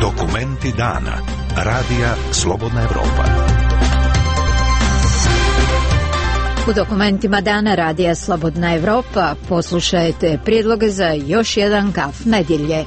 Dokumenti dana. Radija Slobodna Evropa. U dokumentima dana Radija Slobodna Evropa poslušajte prijedloge za još jedan gaf nedjelje.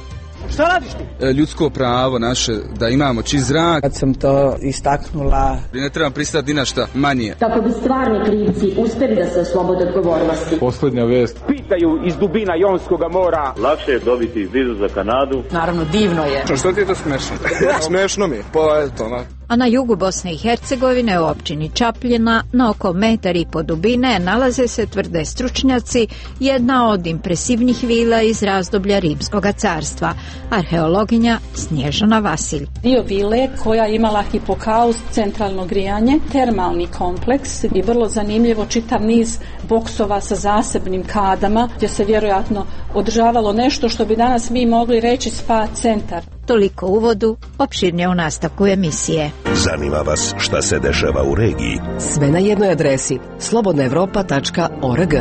Šta radiš ti? Ljudsko pravo naše, da imamo čist zrak. Kad sam to istaknula, ne trebam pristati na šta manje. Kako bi stvarni krivci uspjeli da se oslobode odgovornosti. Posljednja vijest. Pitaju iz dubina Jonskog mora. Lakše je dobiti vizu za Kanadu. Naravno, divno je. Što ti je to smešno? Smešno mi je. Pa eto, A na jugu Bosne i Hercegovine u općini Čapljina na oko 1,5 m dubine nalaze se, tvrde stručnjaci, jedna od impresivnih vila iz razdoblja Rimskog carstva. Arheologinja Snježana Vasilj. Dio vile koja je imala hipokaust, centralno grijanje, termalni kompleks i vrlo zanimljivo čitav niz boksova sa zasebnim kadama gdje se vjerojatno održavalo nešto što bi danas mi mogli reći spa centar. Toliko uvodu, opširnije u nastavku emisije. Zanima vas šta se dešava u regiji? Sve na jednoj adresi slobodnaevropa.org.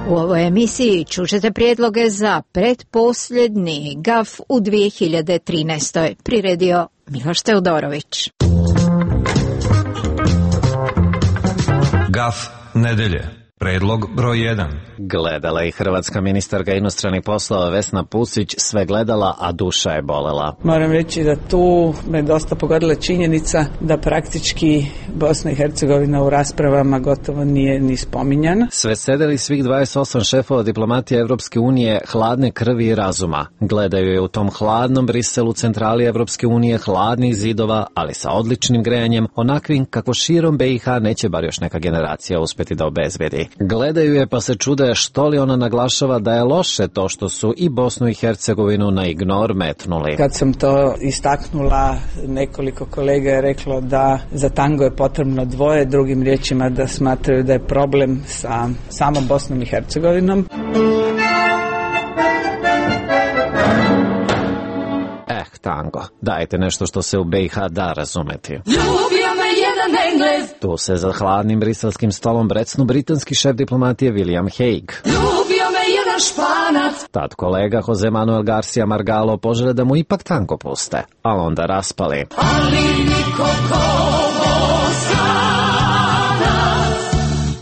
U ovoj emisiji čućete prijedloge za pretposljednji gaf u 2013. Priredio Miloš Teodorović. Gaf nedelje. Predlog broj 1. Gledala i hrvatska ministarka inostranih poslova Vesna Pusić sve gledala, a duša je bolela. Moram reći da tu me dosta pogodila činjenica da praktički Bosna i Hercegovina u raspravama gotovo nije ni spominjana. Sve sedeli svih 28 šefova diplomatije Evropske unije hladne krvi i razuma. Gledaju je u tom hladnom Briselu, centrali Evropske unije, hladnih zidova, ali sa odličnim grejanjem, onakvim kako širom BiH neće bar još neka generacija uspjeti da obezbedi. Gledaju je pa se čude što li ona naglašava da je loše to što su i Bosnu i Hercegovinu na ignor metnuli. Kad sam to istaknula, nekoliko kolega je reklo da za tango je potrebno dvoje, drugim riječima da smatraju da je problem sa samom Bosnom i Hercegovinom. Tango. Dajte nešto što se u BiH da razumeti. Ljubio me jedan Englez. Tu se za hladnim briselskim stolom brecnu britanski šef diplomatije William Hague. Ljubio me jedan Španac. Tad kolega Jose Manuel Garcia Margallo požele da mu ipak tango puste, a onda raspali. Ali niko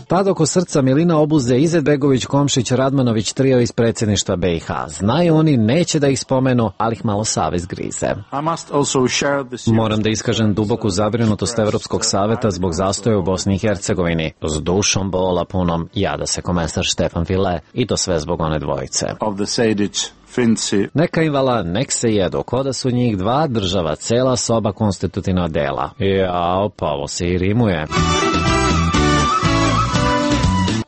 Tad oko srca Milina obuze Izetbegović, Komšić, Radmanović, trio iz predsjedništva BiH. Znaju oni, neće da ih spomenu, ali ih malo savez grize. Moram da iskažem duboku zabrinutost Evropskog saveta zbog zastoja u Bosni i Hercegovini. S dušom bola punom jada se komesar Štefan File i to sve zbog one dvojice. Neka im vala, nek se jedu, ko da su njih dva država, cela soba konstitutivna dela. Jao, pa ovo se i rimuje.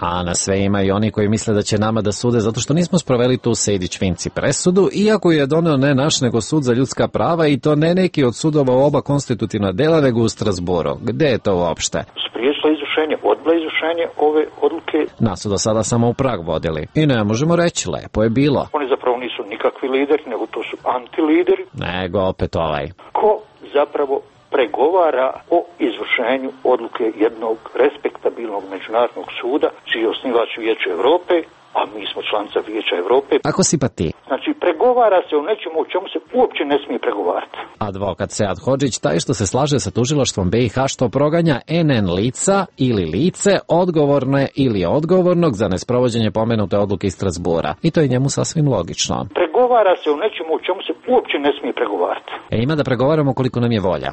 A na sve ima i oni koji misle da će nama da sude zato što nismo sproveli tu Sejdić-Finci presudu, iako je doneo ne naš nego sud za ljudska prava i to ne neki od sudova u oba konstitutivna dela nego u Strasburu. Gde je to uopšte? Spriječila izvršenje, odbila izvršenje ove odluke. Nas su do sada samo u Prag vodili. I ne možemo reći, lepo je bilo. Oni zapravo nisu nikakvi lideri, nego to su antilideri. Nego opet ovaj. Ko zapravo pregovara o izvršenju odluke jednog respektabilnog međunarodnog suda, čiji je osnivač Vijeće Europe, a mi smo članica Vijeća Europe. Ako si pa ti. Znači, pregovara se o nečemu o čemu se uopće ne smije pregovarati. Advokat Sead Hodžić, taj što se slaže sa tužilaštvom BiH što proganja NN lica ili lice odgovorne ili odgovornog za nesprovođenje pomenute odluke iz Strasbura. I to je njemu sasvim logično. Pregovara se o nečemu o čemu se uopće ne smije pregovarati. Ima da pregovaramo koliko nam je volja.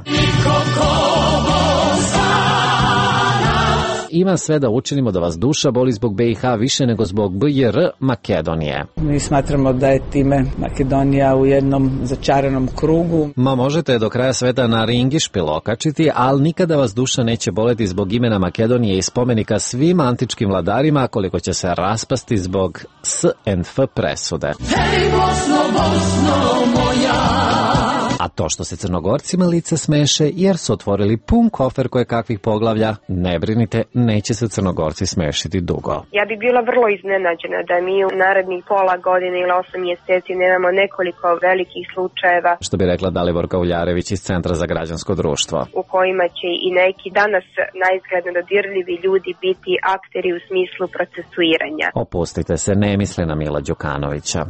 Ima sve da učinimo da vas duša boli zbog BiH više nego zbog BiR Makedonije. Mi smatramo da je time Makedonija u jednom začaranom krugu. Možete je do kraja sveta na ringišpil okačiti, ali nikada vas duša neće boleti zbog imena Makedonije i spomenika svim antičkim vladarima koliko će se raspasti zbog SNF presude. Hej Bosno, Bosno moja. A to što se Crnogorcima lice smeše jer su otvorili pun kofer koje kakvih poglavlja, ne brinite, neće se Crnogorci smešiti dugo. Ja bi bila vrlo iznenađena da mi u narednih pola godine ili 8 mjeseci nemamo nekoliko velikih slučajeva. Što bi rekla Daliborka Uljarević iz Centra za građansko društvo. U kojima će i neki danas naizgledno dodirljivi ljudi biti akteri u smislu procesuiranja. Opustite se, ne misli na Mila Đukanovića.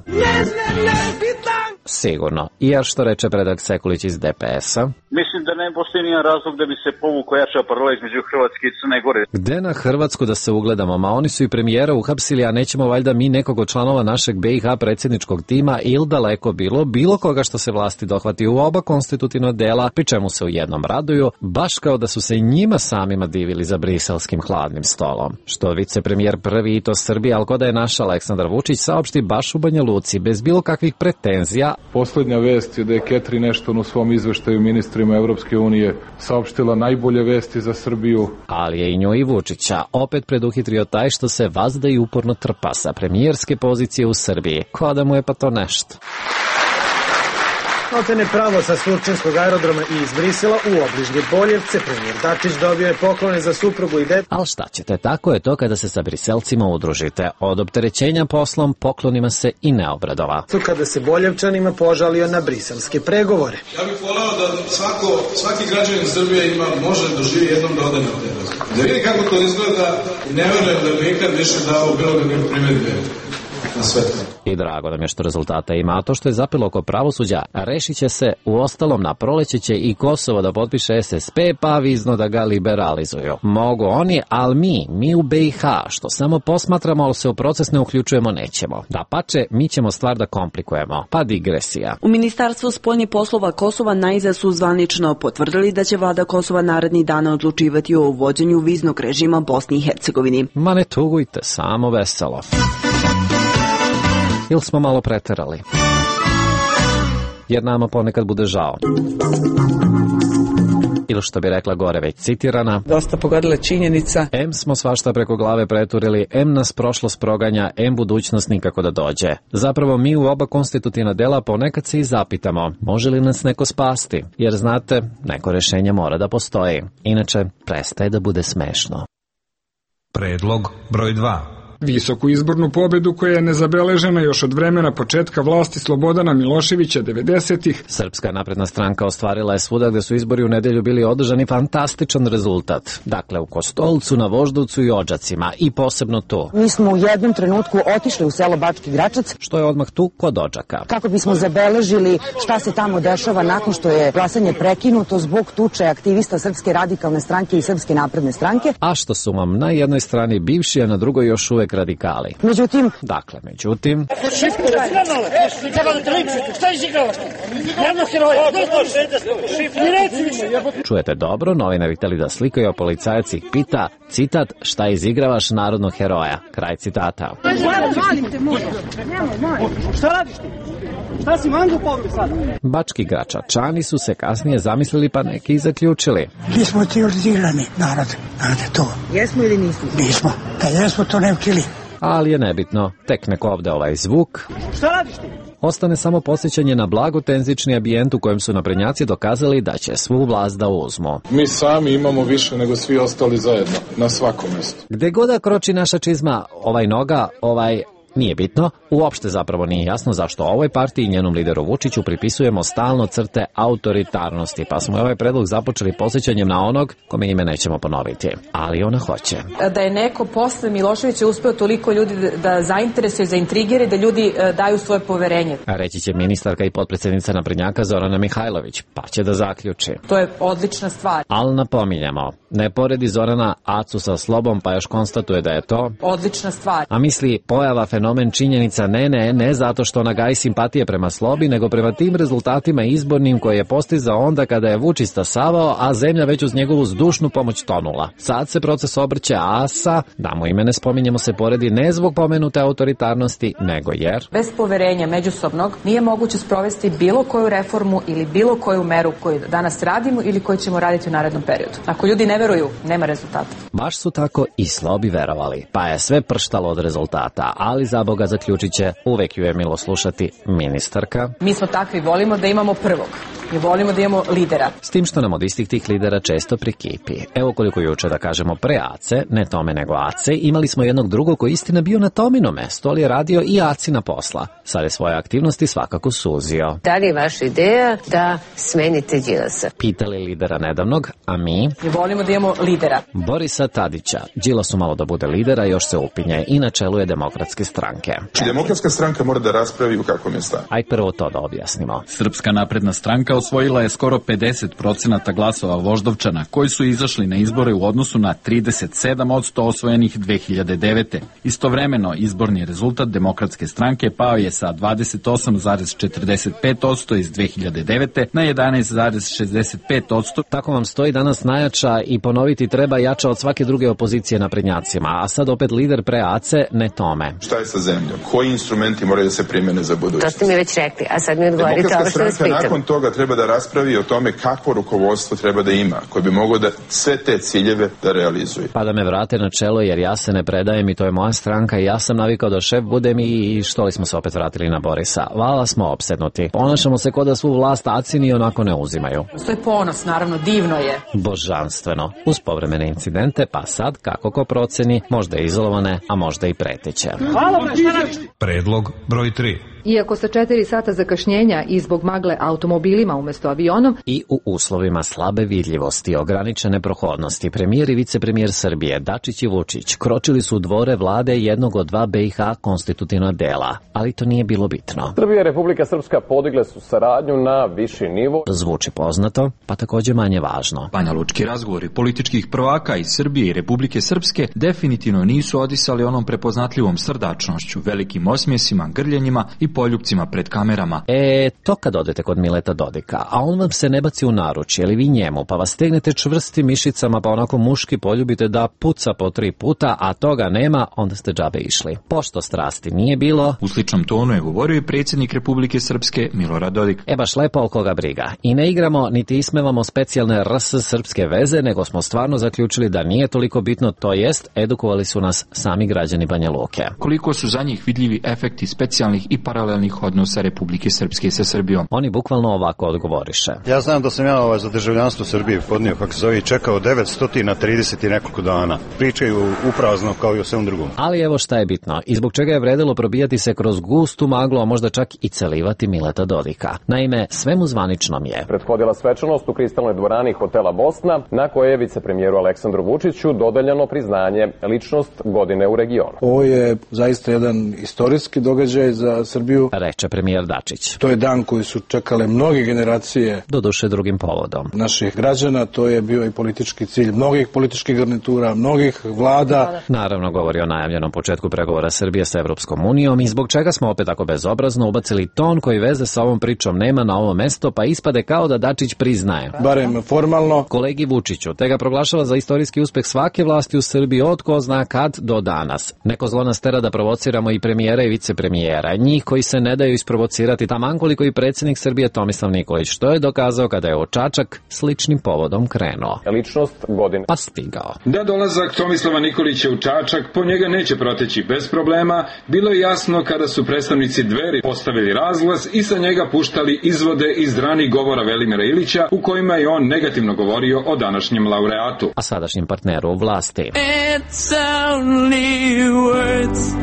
Sigurno. I jer što reče predak Sekulić iz DPS-a? Mislim da ne postoji nijedan razlog da bi se povukao jača paralela između Hrvatske i Crne Gore. Gde na Hrvatsku da se ugledamo? Ma oni su i premijera uhapsili, a nećemo valjda mi nekog od članova našeg BiH predsjedničkog tima ili daleko bilo koga što se vlasti dohvati u oba konstitutivna dela, pri čemu se u jednom raduju, baš kao da su se i njima samima divili za briselskim hladnim stolom. Što vicepremijer prvi i to Srbije, ali ko da je naš Aleksandar Vučić saopšti baš u Banja Luci, bez bilo kakvih pretenzija. Posljednja vest je da je Catherine Ashton u svom izveštaju ministrima Evropske unije saopštila najbolje vesti za Srbiju. Ali je i nju i Vučića opet preduhitrio taj što se vazda i uporno trpa sa premijerske pozicije u Srbiji. Ko da mu je pa to nešto. Maltene pravo sa Surčinskog aerodroma i iz Brisela u obližnje Boljevce, premijer Dačić dobio je poklone za suprugu i dete. Ali šta ćete, tako je to kada se sa Briselcima udružite. Od opterećenja poslom poklonima se i ne obradova. Kada se Boljevčanima požalio na briselske pregovore. Ja bih voleo da svaki građanin Srbije može doživi jednom da ode na te razgovore. Da vidi kako to izgleda i ne verujem da bi ikad više dao bilo kakve primedbe na sve to. I drago nam je što rezultata ima, a to što je zapelo oko pravosuđa, rešit će se, u ostalom na proleće će i Kosovo da potpiše SSP, pa vizno da ga liberalizuju. Mogu oni, ali mi u BiH, što samo posmatramo, ali se u proces ne uključujemo, nećemo. Dapače, mi ćemo stvar da komplikujemo. Pa digresija. U Ministarstvu spoljnih poslova Kosova najzad su zvanično potvrdili da će vlada Kosova narednih dana odlučivati o uvođenju viznog režima Bosni i Hercegovini. Ma ne tugujte, samo veselo. Ili smo malo preterali? Jer nama ponekad bude žao. Ili što bi rekla gore već citirana. Dosta pogodila činjenica. M smo svašta preko glave preturili, M nas prošlost proganja, M budućnost nikako da dođe. Zapravo mi u oba konstitutivna dela ponekad se i zapitamo, može li nas neko spasti? Jer znate, neko rešenje mora da postoji. Inače, prestaje da bude smešno. Predlog broj 2. Visoku izbornu pobedu koja je nezabeležena još od vremena početka vlasti Slobodana Miloševića 90-ih. Srpska napredna stranka ostvarila je svuda gde su izbori u nedelju bili održani fantastičan rezultat. Dakle, u Kostolcu, na Voždovcu i Odžacima i posebno tu. Mi smo u jednom trenutku otišli u selo Bački Gračac. Što je odmah tu kod Odžaka. Kako bismo zabeležili šta se tamo dešava nakon što je glasanje prekinuto zbog tuče aktivista Srpske radikalne stranke i Srpske napredne stranke. A što su vam na jednoj strani bivši, a na drugoj još uvek radikali. Međutim... Čujete dobro, novinari hteli da slikaju, a policajac ih pita, citat, šta izigravaš narodnog heroja? Kraj citata. Šta radiš ti? Šta si mangu povri sada? Bački Gračačani su se kasnije zamislili, pa neki i zaključili. Mi smo terorizirani narod, znate to. Jesmo ili nismo? Nismo, da jesmo to ne učili. Ali je nebitno, tek nek ovde ovaj zvuk. Šta radiš ti? Ostane samo podsjećanje na blagotenzični ambijent u kojem su naprednjaci dokazali da će svu vlast da uzmu. Mi sami imamo više nego svi ostali zajedno, na svakom mjestu. Gde god da kroči naša čizma, ovaj noga, nije bitno, uopšte zapravo nije jasno zašto ovoj partiji i njenom lideru Vučiću pripisujemo stalno crte autoritarnosti, pa smo ovaj predlog započeli posjećanjem na onog kome ime nećemo ponoviti, ali ona hoće. Da je neko posle Miloševića uspeo toliko ljudi da zainteresuje, zaintrigire, da ljudi daju svoje poverenje. A reći će ministarka i potpredsjednica naprednjaka Zorana Mihajlović, pa će da zaključi. To je odlična stvar. Ali napominjamo, ne poredi Zorana Acu sa Slobom, pa još konstatuje da je to odlična stvar. A misli pojava fenomen činjenica ne zato što ona gaji simpatije prema Slobi, nego prema tim rezultatima izbornim koje je postizao onda kada je Vučić stasavao, a zemlja već uz njegovu zdušnu pomoć tonula. Sad se proces obrće Asa, da mu ime ne spominjemo, se poredi ne zbog pomenute autoritarnosti, nego jer bez poverenja međusobnog nije moguće sprovesti bilo koju reformu ili bilo koju meru koju danas radimo ili koju ćemo raditi u narednom periodu. Ako ljudi ne veruju, nema rezultata. Baš su tako i Slobi verovali, pa je sve prštalo od rezultata, ali za Boga zaključit će, uvek ju je milo slušati, ministarka. Mi smo takvi, volimo da imamo prvog. Mi volimo da imamo lidera. S tim što nam od istih tih lidera često prikipi. Evo koliko juče da kažemo pre Ace, ne Tome nego Ace, imali smo jednog drugog koji istina bio na Tomino mesto, ali je radio i Acina posla. Sad je svoje aktivnosti svakako suzio. Da li je vaša ideja da smenite Đilasa? Pitali lidera nedavnog, a mi volimo da imamo lidera. Borisa Tadića. Đilasu malo da bude lidera, još se upinje i na čelu je Demokratske stranke. Demokratska stranka mora da raspravi u kakvom je stanju. Aj prvo to da objasnimo. Srpska napredna stranka osvojila je skoro 50% glasova Voždovčana, koji su izašli na izbore u odnosu na 37% osvojenih 2009. Istovremeno, izborni rezultat Demokratske stranke pao je sa 28,45% iz 2009. na 11,65%. Tako vam stoji danas najjača i ponoviti treba jača od svake druge opozicije naprednjacima, a sad opet lider pre Ace, ne Tome. Šta je sa zemljom? Koji instrumenti moraju da se primene za budućnost? To ste mi već rekli, a sad mi odgovorite ovo što vas pitam. Nakon toga treba da raspravi o tome kakvo rukovodstvo treba da ima, koje bi moglo da sve te ciljeve da realizuje. Pa da me vrate na čelo jer ja se ne predajem i to je moja stranka i ja sam navikao da šef budem i što li smo se opet vratili na Borisa. Vala smo opsednuti. Ponašamo se kao da svu vlast Acini onako ne uzimaju. To je ponos, naravno, divno je. Božanstveno. Uz povremene incidente, pa sad, kako ko proceni, možda izolovane, a možda i preteće. Predlog broj 3. Iako sa 4 sata zakašnjenja i zbog magle automobilima umesto avionom i u uslovima slabe vidljivosti, ograničene prohodnosti, premijer i vicepremijer Srbije Dačić i Vučić kročili su u dvore vlade jednog od dva BiH konstitutivna dela, ali to nije bilo bitno. Srbija i Republika Srpska podigle su saradnju na viši nivo. Zvuči poznato, pa takođe manje važno. Banjalučki razgovori političkih prvaka iz Srbije i Republike Srpske definitivno nisu odisali onom prepoznatljivom srdačnošću, velikim osmjesima, grljenjima i poljupcima pred kamerama. To kad odete kod Mileta Dodika, a on vam se ne baci u naručje ili vi njemu, pa vas stegnete čvrstim mišicama, pa onako muški poljubite da puca po 3 puta, a toga nema, onda ste džabe išli. Pošto strasti nije bilo, u sličnom tonu je govorio i predsjednik Republike Srpske Milorad Dodik. Baš lepo, al koga briga. I ne igramo, niti ismevamo specijalne RS srpske veze, nego smo stvarno zaključili da nije toliko bitno, to jest, edukovali su nas sami građani Banja Luke. Koliko su za njih vidljivi efekti specijalnih i paralelnih odnosa Republike Srpske sa Srbijom? Oni bukvalno ovako odgovoriše. Ja znam da sam ja za državljanstvo Srbije podnio, kako se zove, čekao 930 i nekoliko dana. Pričaju uprazno kao i o svem drugom. Ali evo šta je bitno i zbog čega je vredilo probijati se kroz gustu maglu, a možda čak i celivati Mileta Dodika. Naime, svemu zvaničnom je prethodila svečanost u kristalnoj dvorani hotela Bosna, na koje je vicepremijeru Aleksandru Vučiću dodeljeno priznanje ličnost godine u regionu. Ovo je zaista jedan istorijski događaj za Srbiju, reče premijer Dačić. To je dan koji su čekale mnoge generacije, doduše drugim povodom, naših građana. To je bio i politički cilj mnogih političkih garnitura, mnogih vlada. Naravno govori o najavljenom početku pregovora Srbije sa Evropskom unijom i zbog čega smo opet tako bezobrazno ubacili ton koji veze sa ovom pričom nema na ovo mesto, pa ispade kao da Dačić priznaje, barem formalno, kolegi Vučiću, te ga proglašava za istorijski uspeh svake vlasti u Srbiji od ko zna kad do danas. Neko zlo nas tera da provociramo i premijera i vicepremijera, njih koji se ne daju isprovocirati, taman koliko i predsjednik Srbije Tomislav Nikolić, što je dokazao kada je u Čačak sličnim povodom krenuo. Ličnost godine. Pa stigao. Da dolazak Tomislava Nikolića u Čačak po njega neće proteći bez problema, bilo je jasno kada su predstavnici Dveri postavili razglas i sa njega puštali izvode iz ranih govora Velimira Ilića u kojima je on negativno govorio o današnjem laureatu, a sadašnjem partneru u vlasti. It's only words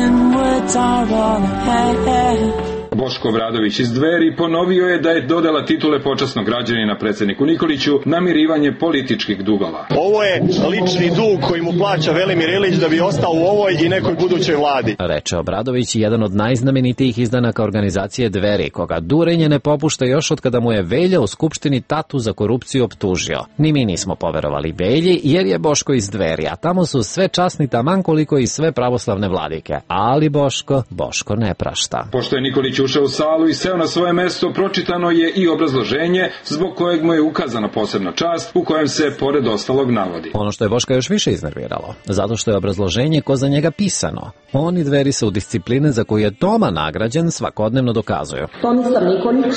and words are all I have. Boško Obradović iz Dveri ponovio je da je dodala titule počasnog građanina predsjedniku Nikoliću namirivanje političkih dugova. Ovo je lični dug koji mu plaća Velimir Ilić da bi ostao u ovoj i nekoj budućoj vladi, reče Obradović, jedan od najznamenitijih izdanaka organizacije Dveri, koga durenje ne popušta još od kada mu je Velja u Skupštini tatu za korupciju optužio. Ni mi nismo poverovali Velji jer je Boško iz Dveri, a tamo su sve časni taman koliko i sve pravoslavne vladike. Ali Boško ne prašta. Pošto je Nikolić ušao u salu i seo na svoje mesto, pročitano je i obrazloženje zbog kojeg mu je ukazana posebna čast, u kojem se pored ostalog navodi. Ono što je Boška još više iznerviralo, zato što je obrazloženje ko za njega pisano. Oni Dveri se u discipline za koju je Toma nagrađen svakodnevno dokazuju. Tomislav Nikolić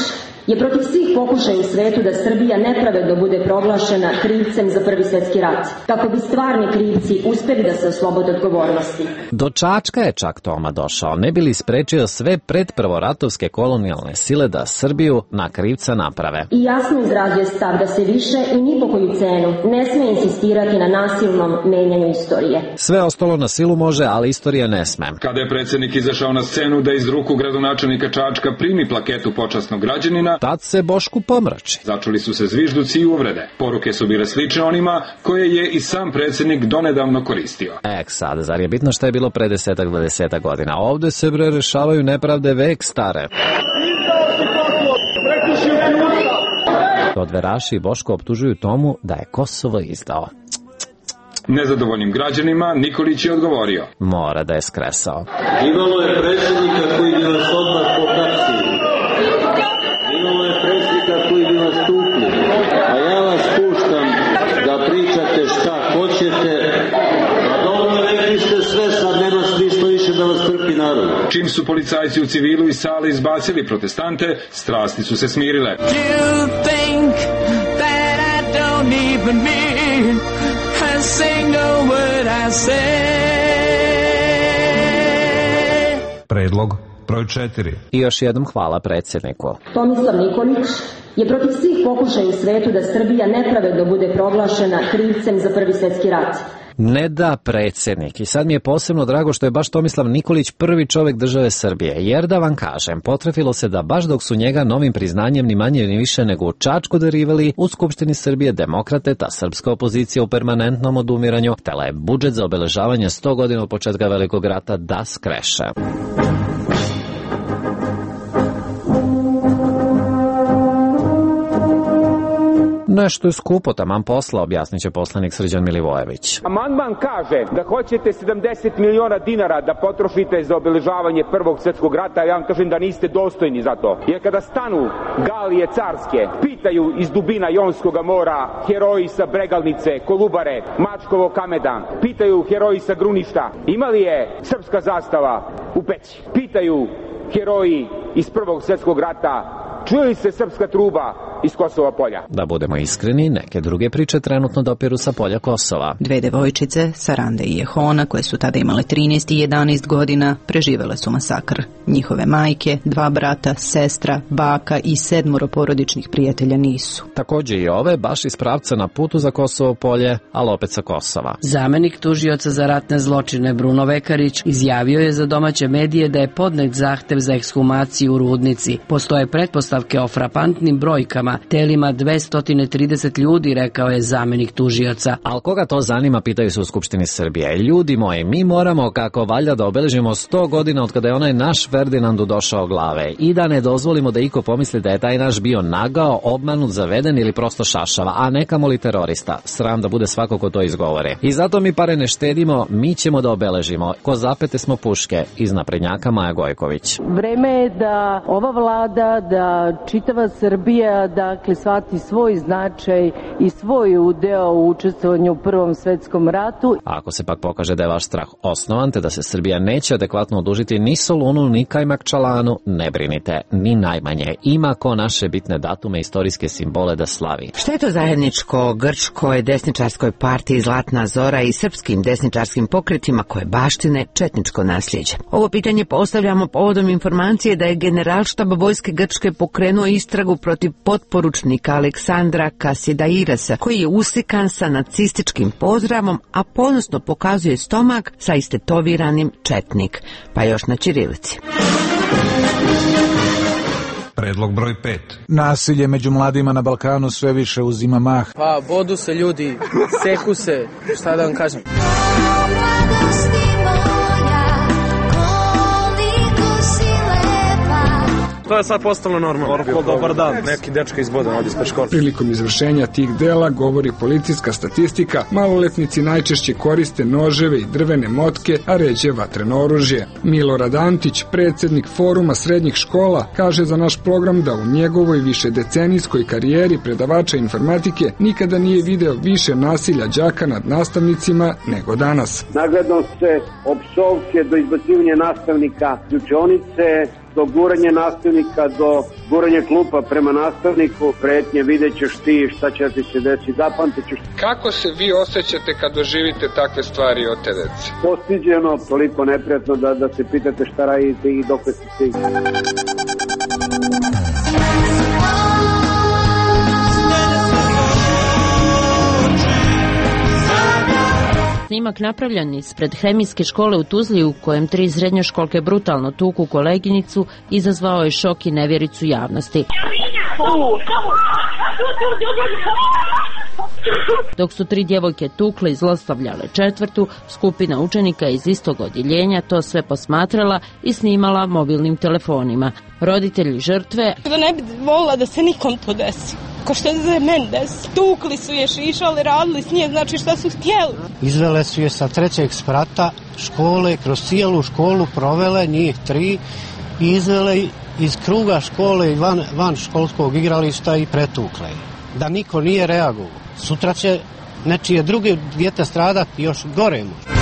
je protiv svih pokušaja u svetu da Srbija nepravedno bude proglašena krivcem za Prvi svjetski rat, kako bi stvarni krivci uspeli da se oslobode odgovornosti. Do Čačka je čak Toma došao, ne bi li sprečio sve predprvoratne NATO-vske kolonijalne sile da Srbiju na krivca naprave. I jasno izrađuje stav da se više i ni po koju cenu ne sme insistirati na nasilnom menjanju istorije. Sve ostalo na silu može, ali istorija ne sme. Kada je predsjednik izašao na scenu da iz ruku gradonačelnika Čačka primi plaketu počasnog građanina, tad se Bošku pomrači. Začuli su se zvižduci i uvrede. Poruke su bile slične onima koje je i sam predsjednik donedavno koristio. Sad, zar je bitno šta je bilo pre 10-20 godina? Ovde se rešavaju nepravde vek stare. Odveraši i Boško optužuju Tomu da je Kosovo izdao. Nezadovoljnim građanima Nikolić je odgovorio. Mora da je skresao. Imalo je predsjednika koji bi vas odmah pohapsili. Imalo je predsjednika koji bi vas tukli. A ja vas puštam da pričate šta hoćete. A dobro, rekli ste sve, sad nema smisla više da vas trpi narod. Čim su policajci u civilu iz sale izbacili protestante, strasti su se smirile. Predlog broj 4. I još jednom hvala predsjedniku. Tomislav Nikolić je protiv svih pokušaja u svetu da Srbija nepravedno bude proglašena krivcem za Prvi svjetski rat. Ne da predsjednik. I sad mi je posebno drago što je baš Tomislav Nikolić prvi čovjek države Srbije. Jer da vam kažem, potrefilo se da baš dok su njega novim priznanjem ni manje ni više nego u Čačku derivali, u Skupštini Srbije demokrate, ta srpska opozicija u permanentnom odumiranju, htela je budžet za obeležavanje 100 godina od početka Velikog rata da skreše. Nešto je skupo, taman posla, objasnit će poslanik Srđan Milivojević. Amandman kaže da hoćete 70 miliona dinara da potrošite za obeležavanje Prvog svjetskog rata, ja vam kažem da niste dostojni za to. Jer kada stanu galije carske, pitaju iz dubina Jonskog mora heroji sa Bregalnice, Kolubare, Mačkovog kamena, pitaju heroji sa Gruništa, ima li je srpska zastava u Peći? Pitaju heroji iz Prvog svjetskog rata, čuje li se srpska truba iz Kosova polja? Da budemo iskreni, neke druge priče trenutno dopiru sa polja Kosova. Dve devojčice, Saranda i Jehona, koje su tada imale 13 i 11 godina, preživele su masakr. Njihove majke, 2 brata, sestra, baka i 7 porodičnih prijatelja nisu. Također i ove, baš iz pravca na putu za Kosovo polje, ali opet sa Kosova. Zamenik tužioca za ratne zločine Bruno Vekarić izjavio je za domaće medije da je podnet zahtev za ekshumaciju u Rudnici. Postoje pretpostavke o frapantnim brojkama, telima 230 ljudi, rekao je zamenik tužioca. Al koga to zanima, pitaju se u Skupštini Srbije. Ljudi moji, mi moramo kako valja da obeležimo 100 godina od kada je onaj naš Ferdinandu došao glave i da ne dozvolimo da iko pomisli da je taj naš bio nagao, obmanut, zaveden ili prosto šašava, a ne kamoli terorista. Sram da bude svako ko to izgovore. I zato mi pare ne štedimo, mi ćemo da obeležimo. Ko zapete smo puške, iz naprednjaka Maja Gojković. Vreme je da ova vlada, da čitava Srbija, dakle, shvati svoj značaj i svoj udeo u učestvovanju u Prvom svetskom ratu. A ako se pak pokaže da je vaš strah osnovan, te da se Srbija neće adekvatno odužiti ni Solunu, ni Kajmakčalanu, ne brinite, ni najmanje. Ima ko naše bitne datume, istorijske simbole da slavi. Šta je to zajedničko grčkoj desničarskoj partiji Zlatna Zora i srpskim desničarskim pokretima koje baštine četničko nasljeđe? Ovo pitanje postavljamo povodom informacije da je Generalštab vojske Grčke pokrenuo istragu protiv potporučnika Aleksandra Kasidairasa, koji je uslikan sa nacističkim pozdravom, a ponosno pokazuje stomak sa istetoviranim četnik, pa još na ćirilici. Predlog broj 5. Nasilje među mladima na Balkanu sve više uzima mah. Pa, bodu se ljudi, seku se, šta da vam kažem. To je sad postalo normalno. Orko, dobar dan. Neki dečka izbodan ovdje ispred škola. Prilikom izvršenja tih dela, govori policijska statistika, maloletnici najčešće koriste noževe i drvene motke, a ređe vatreno oružje. Milorad Antić, predsjednik Foruma srednjih škola, kaže za naš program da u njegovoj višedecenijskoj karijeri predavača informatike nikada nije video više nasilja đaka nad nastavnicima nego danas. Nagledno se opsovke do izbacivanja nastavnika iz učionice, do guranja nastavnika, do guranja klupa prema nastavniku, pretnje, vidjet ćeš ti šta će ti se desiti, zapamtit ćeš. Kako se vi osjećate kad doživite takve stvari od te dece? Postiđeno, toliko neprijatno da se pitate šta radite i dok ste stigli. Snimak napravljen ispred hemijske škole u Tuzli u kojem 3 srednjoškolke brutalno tuku koleginicu izazvao je šok i nevjericu javnosti. Dok su 3 djevojke tukle i zlostavljale 4., skupina učenika iz istog odjeljenja to sve posmatrala i snimala mobilnim telefonima. Roditelji žrtve... Da ne bi volila da se nikom to desi. Ko što se meni desi. Tukli su je, šišali, radili s nje, znači šta su htjeli. Izvele su je sa 3. sprata škole, kroz cijelu školu provele, njih 3, i izvele iz kruga škole i van školskog igrališta i pretukle. Da niko nije reagovao. Sutra će nečije druge dijete stradati još gore možda.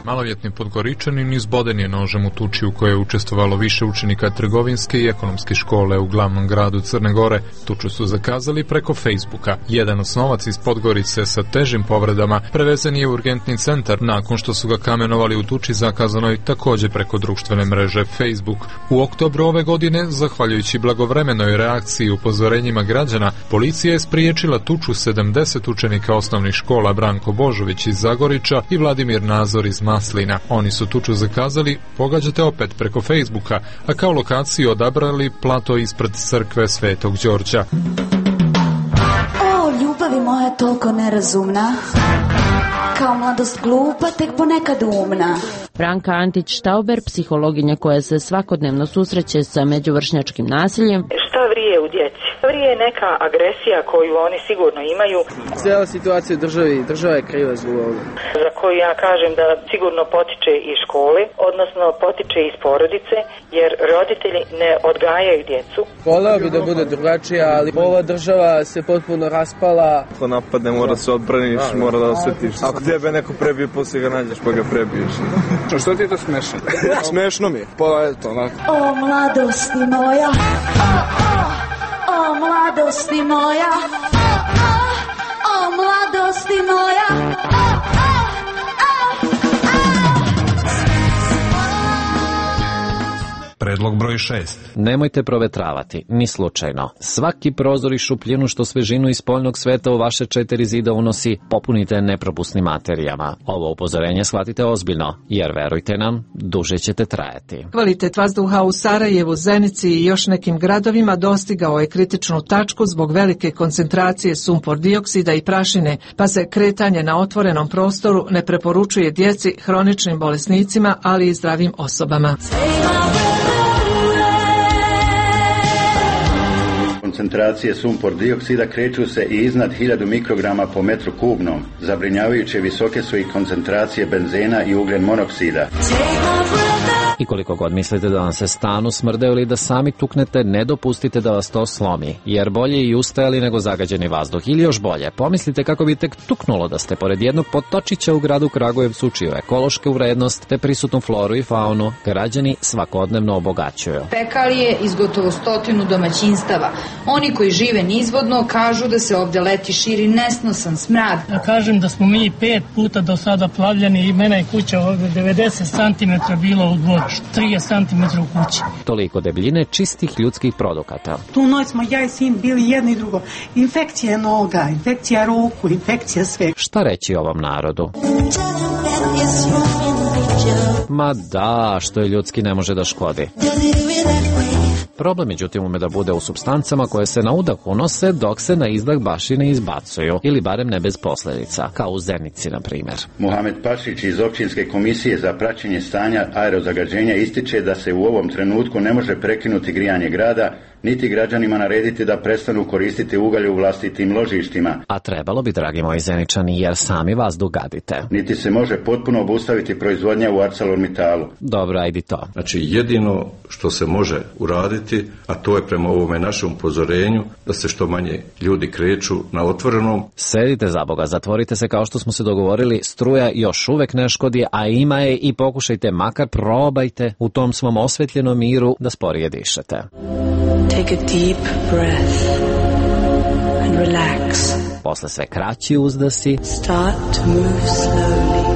Maloljetni Podgoričanin izboden je nožem u tuči u kojoj je učestvovalo više učenika trgovinske i ekonomske škole u glavnom gradu Crne Gore. Tuču su zakazali preko Facebooka. Jedan osnovac iz Podgorice sa težim povredama prevezen je u urgentni centar nakon što su ga kamenovali u tuči zakazanoj također preko društvene mreže Facebook. U oktobru ove godine, zahvaljujući blagovremenoj reakciji i upozorenjima građana, policija je spriječila tuču 70 učenika osnovnih škola Branko Božović iz Zagorića i Vladimir Nazor iz Maslina. Oni su tuču zakazali, pogađate opet preko Facebooka, a kao lokaciju odabrali plato ispred crkve Svetog Đorđa. O, ljubavi moja toliko nerazumna, kao mladost glupa, tek ponekad umna. Branka Antić-Štauber, psihologinja koja se svakodnevno susreće sa međuvršnjačkim nasiljem. Šta vrije u djeci? Vrije neka agresija koju oni sigurno imaju. Cijela situacija u državi, država je kriva zbog ovoga. Za koju ja kažem da sigurno potiče iz škole, odnosno potiče iz porodice, jer roditelji ne odgajaju djecu. Voleo bi da bude drugačija, ali ova država se potpuno raspala. Ako napadne, mora se odbraniš, mora da osjetiš. Ako tebe neko prebije, poslije ga nađeš pa ga prebiješ. Što ti je to smešno? Smešno mi je, pa je to onako. O, mladosti moja, o, mladosti moja, o, mladosti moja, Predlog broj 6. Nemojte provetravati, ni slučajno. Svaki prozor i šupljinu što svežinu iz spoljnog sveta u vaše 4 zida unosi, popunite nepropusnim materijama. Ovo upozorenje shvatite ozbiljno, jer verujte nam, duže ćete trajati. Kvalitet vazduha u Sarajevu, Zenici i još nekim gradovima dostigao je kritičnu tačku zbog velike koncentracije sumpor dioksida i prašine, pa se kretanje na otvorenom prostoru ne preporučuje djeci, hroničnim bolesnicima, ali i zdravim osobama. Koncentracije sumpor dioksida kreću se i iznad 1000 mikrograma po metru kubnom. Zabrinjavajuće visoke su i koncentracije benzena i ugljen monoksida. I koliko god mislite da vam se stanu smrde ili da sami tuknete, ne dopustite da vas to slomi, jer bolje i ustajali nego zagađeni vazduh. Ili još bolje, pomislite kako bi tek tuknulo da ste pored jednog potočića u gradu Kragujevcu, čiju ekološku vrednost te prisutnu floru i faunu građani svakodnevno obogaćuju. Pekarije iz gotovo 100 domaćinstava. Oni koji žive nizvodno kažu da se ovdje leti širi nesnosan smrad. Da kažem da smo mi 5 puta do sada plavljani i mena je kuća ovdje 90 cm bilo u dvorištu, 30 cm u kući. Toliko debljine čistih ljudskih produkata. Tu noć smo ja i sin bili jedno i drugo. Infekcija noga, infekcija ruku, infekcija sve. Šta reći ovom narodu? Ma da, što je ljudski ne može da škodi. Problem, međutim, ume da bude u supstancama koje se na udah unose dok se na izdah baš i ne izbacuju, ili barem ne bez posljedica, kao u Zenici, na primjer. Muhamed Pašić iz Općinske komisije za praćenje stanja aerozagađenja ističe da se u ovom trenutku ne može prekinuti grijanje grada, niti građanima narediti da prestanu koristiti ugalj u vlastitim ložištima. A trebalo bi, dragi moji Zeničani, jer sami vazduh gadite. Niti se može potpuno obustaviti proizvodnja u ArcelorMittalu. Dobro, ajdi to. Znači, jedino što se može uraditi, a to je prema ovome našem upozorenju, da se što manje ljudi kreću na otvorenom. Sedite za Boga, zatvorite se kao što smo se dogovorili, struja još uvek ne škodi, a ima je i pokušajte, makar probajte u tom svom osvetljenom miru da sporije dišete. Take a deep breath and relax. Posle sve kraći uzdasi. Start to move slowly.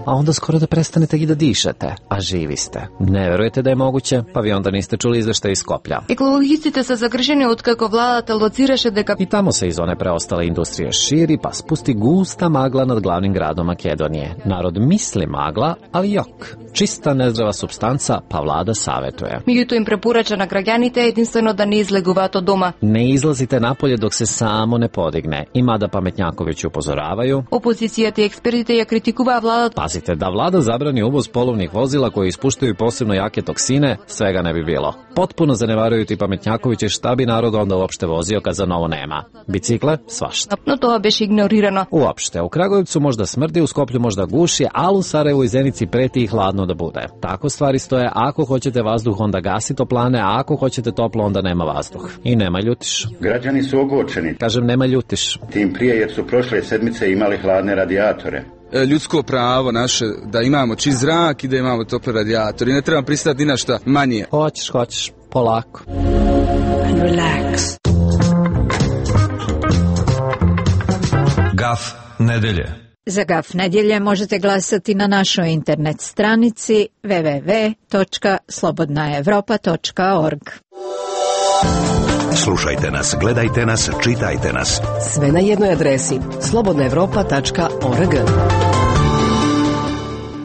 A onda skoro da prestanete i da dišete, a živi ste. Ne verujete da je moguće, pa vi onda niste čuli izveštaj iz Skoplja. Екологистите се загрижени откако владата лоцираше дека I tamo se iz one preostale industrije širi, pa spusti gusta magla nad glavnim gradom Makedonije. Narod misli magla, ali jok. Čista nezdrava supstanca, pa vlada savetuje. меѓутоа им препорача на граѓаните единствено да не излегуваат од дома. Ne izlazite napolje dok se samo ne podigne. I mada pametnjakovići upozoravaju. Опозицијата и експертите ја критикуваа владата. Pazite, da vlada zabrani uvoz polovnih vozila koji ispuštaju posebno jake toksine, svega ne bi bilo. Potpuno zanevaruju ti pametnjakovići šta bi narod onda uopšte vozio kad za novo nema. Bicikle, svašta. Но тоа беше игнорирано. Uopšte, u Kragujevcu možda smrdi, u Skoplju možda guši, ali u Sarajevu i Zenici preti i hladno da bude. Tako stvari stoje, ako hoćete vazduh onda gasi toplane, a ako hoćete toplo onda nema vazduh. I nema ljutiš. Građani su ogorčeni. Kažem, nema ljutiš. Tim prije jer su prošle sedmice imali hladne radijatore. Ljudsko pravo naše da imamo čist zrak i da imamo tople radijatore. I ne trebam pristati ni na šta manje. Hoćeš, polako. And relax. Gaf nedelje. Za Gaf nedjelje možete glasati na našoj internet stranici www.slobodnaevropa.org. Slušajte nas, gledajte nas, čitajte nas. Sve na jednoj adresi slobodnaevropa.org.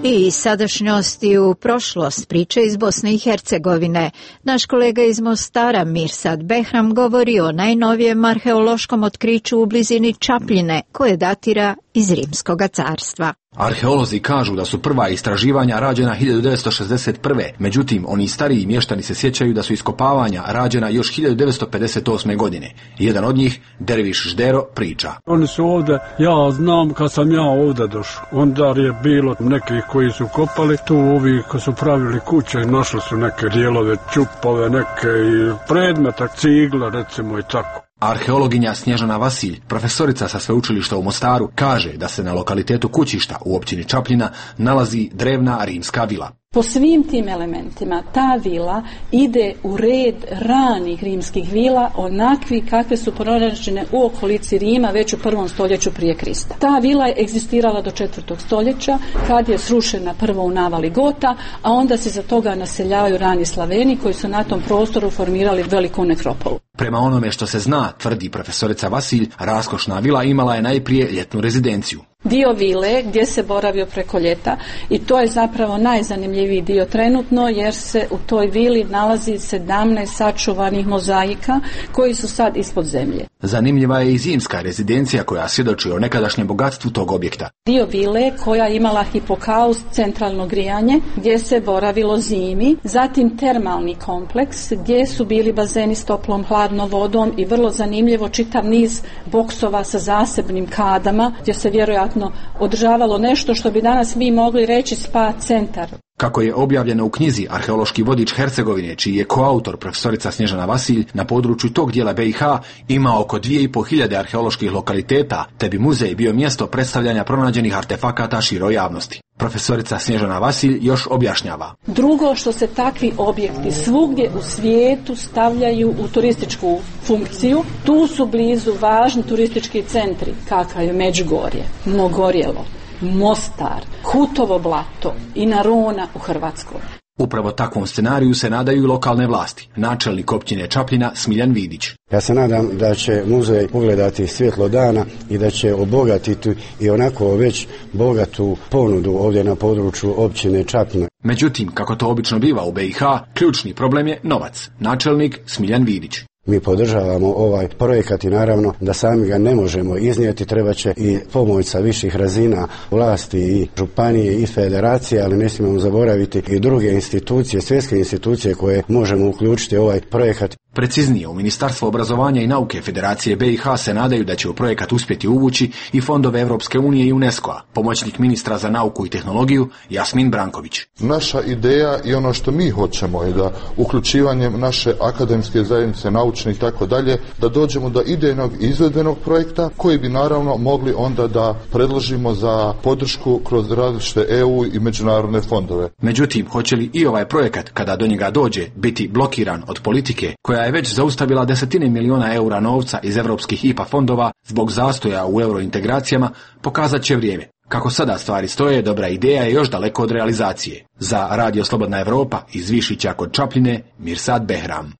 I sadašnjosti u prošlost, priče iz Bosne i Hercegovine. Naš kolega iz Mostara, Mirsad Behram, govori o najnovijem arheološkom otkriću u blizini Čapljine, koje datira iz Rimskog carstva. Arheolozi kažu da su prva istraživanja rađena 1961. Međutim, oni stariji mještani se sjećaju da su iskopavanja rađena još 1958. godine. Jedan od njih, Derviš Ždero, priča. Oni su ovdje, ja znam kad sam ja ovdje došao, onda je bilo nekih koji su kopali, tu ovi koji su pravili kuće i našli su neke dijelove, čupove, neke i predmeta, cigla recimo i tako. Arheologinja Snježana Vasilj, profesorica sa sveučilišta u Mostaru, kaže da se na lokalitetu Kućišta u općini Čapljina nalazi drevna rimska vila. Po svim tim elementima ta vila ide u red ranih rimskih vila, onakvi kakve su pronađene u okolici Rima već u 1. stoljeću prije Krista. Ta vila je egzistirala do 4. stoljeća kad je srušena prvo u navali Gota, a onda se za toga naseljavaju rani Slaveni koji su na tom prostoru formirali veliku nekropolu. Prema onome što se zna, tvrdi profesorica Vasilj, raskošna vila imala je najprije ljetnu rezidenciju. Dio vile gdje se boravio preko ljeta i to je zapravo najzanimljiviji dio trenutno jer se u toj vili nalazi 17 sačuvanih mozaika koji su sad ispod zemlje. Zanimljiva je i zimska rezidencija koja svjedoči o nekadašnjem bogatstvu tog objekta. Dio vile koja imala hipokaust, centralno grijanje gdje se boravilo zimi, zatim termalni kompleks gdje su bili bazeni s toplom hladnom vodom i vrlo zanimljivo čitav niz boksova sa zasebnim kadama gdje se vjerojatno održavalo nešto što bi danas mi mogli reći spa centar. Kako je objavljeno u knjizi Arheološki vodič Hercegovine, čiji je koautor profesorica Snježana Vasilj, na području tog dijela BiH ima oko 2500 arheoloških lokaliteta, te bi muzej bio mjesto predstavljanja pronađenih artefakata široj javnosti. Profesorica Snježana Vasilj još objašnjava. Drugo, što se takvi objekti svugdje u svijetu stavljaju u turističku funkciju, tu su blizu važni turistički centri, kakav je Međugorje, Mogorjelo, Mostar, Hutovo blato i Narona u Hrvatskoj. Upravo takvom scenariju se nadaju i lokalne vlasti. Načelnik općine Čapljina Smiljan Vidić. Ja se nadam da će muzej ugledati svjetlo dana i da će obogatiti i onako već bogatu ponudu ovdje na području općine Čapljina. Međutim, kako to obično biva u BiH, ključni problem je novac. Načelnik Smiljan Vidić. mi podržavamo ovaj projekat i naravno da sami ga ne možemo iznijeti, treba će i pomoć sa viših razina vlasti i županije i federacije, ali ne smijemo zaboraviti i druge institucije, svjetske institucije koje možemo uključiti ovaj projekat. Preciznije, u Ministarstvo obrazovanja i nauke Federacije BiH se nadaju da će u projekat uspjeti uvući i fondove Europske unije i UNESCO-a. Pomoćnik ministra za nauku i tehnologiju Jasmin Branković. Naša ideja i ono što mi hoćemo je da uključivanjem naše akademske zajednice, naučne i tako dalje, da dođemo do idejnog i izvedbenog projekta koji bi naravno mogli onda da predložimo za podršku kroz različite EU i međunarodne fondove. Međutim, hoće li i ovaj projekat, kada do njega dođe, biti blokiran od politike koja je već zaustavila desetine miliona eura novca iz europskih IPA fondova zbog zastoja u eurointegracijama, pokazat će vrijeme. Kako sada stvari stoje, dobra ideja je još daleko od realizacije. Za Radio Slobodna Evropa iz Višića kod Čapljine, Mirsad Behram.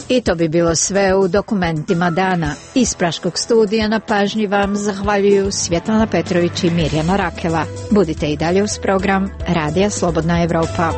I to bi bilo sve u dokumentima dana. Iz Praškog studija na pažnji vam zahvaljuju Svjetlana Petrović i Mirjana Rakela. Budite i dalje uz program Radija Slobodna Evropa.